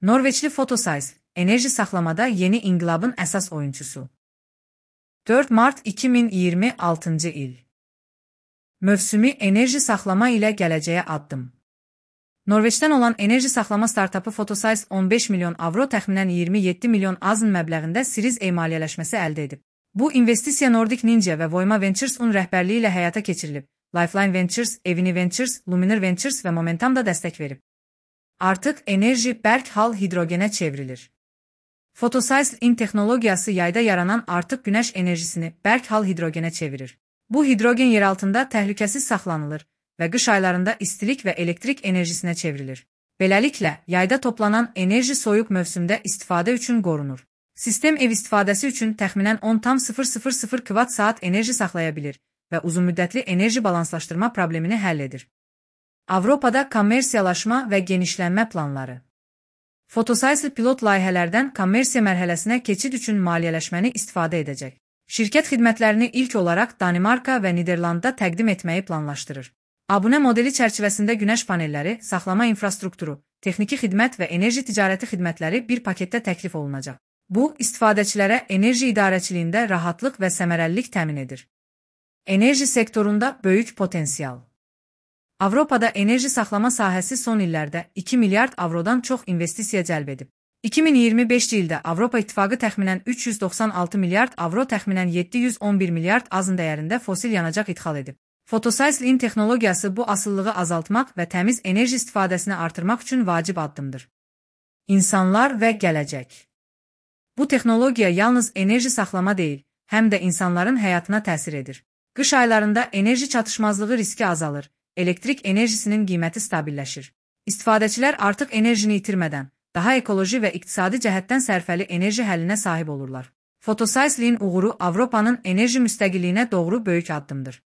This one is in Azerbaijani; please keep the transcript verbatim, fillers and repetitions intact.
Norveçli Photosize, enerji saxlamada yeni inqilabın əsas oyunçusu. dörd mart iki min iyirmi altıncı il. Mövsümi enerji saxlama ilə gələcəyə addım. Norveçdən olan enerji saxlama startapı Photosize on beş milyon avro təxminən iyirmi yeddi milyon azın məbləğində Series A maliyyələşməsi əldə edib. Bu investisiya Nordic Ninja və Voima Ventures-un rəhbərliyi ilə həyata keçirilib. Lifeline Ventures, Evini Ventures, Luminar Ventures və Momentum da dəstək verib. Artıq enerji bərk hal hidrogenə çevrilir. Photosize-in texnologiyası yayda yaranan artıq günəş enerjisini bərk hal hidrogenə çevirir. Bu hidrogen yeraltında təhlükəsiz saxlanılır və qış aylarında istilik və elektrik enerjisinə çevrilir. Beləliklə, yayda toplanan enerji soyuq mövsümdə istifadə üçün qorunur. Sistem ev istifadəsi üçün təxminən on tam sıfır sıfır sıfır kvat saat enerji saxlaya bilir və uzunmüddətli enerji balanslaşdırma problemini həll edir. Avropada kommersiyalaşma və genişlənmə planları. Photosize pilot layihələrdən kommersiya mərhələsinə keçid üçün maliyyələşməni istifadə edəcək. Şirkət xidmətlərini ilk olaraq Danimarka və Niderlandda təqdim etməyi planlaşdırır. Abunə modeli çərçivəsində günəş panelləri, saxlama infrastrukturu, texniki xidmət və enerji ticarəti xidmətləri bir paketdə təklif olunacaq. Bu, istifadəçilərə enerji idarəçiliyində rahatlıq və səmərəlilik təmin edir. Enerji sektorunda böyük potensial. Avropada enerji saxlama sahəsi son illərdə iki milyard avrodan çox investisiya cəlb edib. iki min iyirmi beşinci ildə Avropa İttifaqı təxminən üç yüz doxsan altı milyard avro təxminən yeddi yüz on bir milyard azın dəyərində fosil yanacaq idxal edib. Photosize-in texnologiyası bu asılılığı azaltmaq və təmiz enerji istifadəsini artırmaq üçün vacib addımdır. İnsanlar və gələcək. Bu texnologiya yalnız enerji saxlama deyil, həm də insanların həyatına təsir edir. Qış aylarında enerji çatışmazlığı riski azalır, elektrik enerjisinin qiyməti stabilləşir. İstifadəçilər artıq enerjini itirmədən, daha ekoloji və iqtisadi cəhətdən sərfəli enerji həllinə sahib olurlar. Photosize-in uğuru Avropanın enerji müstəqilliyinə doğru böyük addımdır.